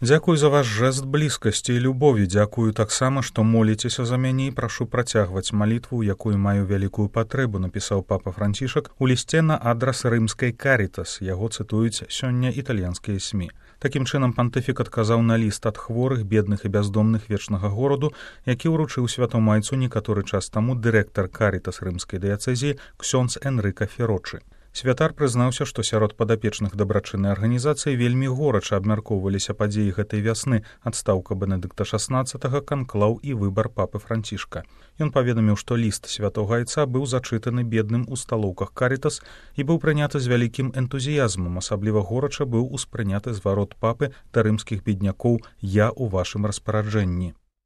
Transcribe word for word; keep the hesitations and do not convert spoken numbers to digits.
Дзякую за ваш жэст блізкасці і любові, дзякую таксама, што моліцеся за мяне і прашу працягваць малітву, якую маю вялікую патрэбу, напісаў папа Францішак у лісце на адрас рымскай Карітас, яго цытуюць сёння італьянскія СМІ. Такім чынам пантыфік адказаў на ліст ад хворых, бедных і бяздомных вечнага гораду, які ўручыў святомайцу некаторы час таму дырэктар Карітас рымскай дыяцэзіі ксёндз Энрыка Ферочы. Святар прызнаўся, што сярод падапечных дабрачыннай арганізацыі вельмі горача абмяркоўваліся падзеі гэтай вясны, адстаўка Бенедыкта шаснаццатага, канклаў і выбар папы Францішка. Ён паведаміў, што ліст святога айца быў зачытаны бедным у сталоўках Карітас і быў прыняты з вялікім энтузіязмам, асабліва горача быў успрыняты зварот папы да рымскіх беднякоў «Я ў вашым распараджэнні».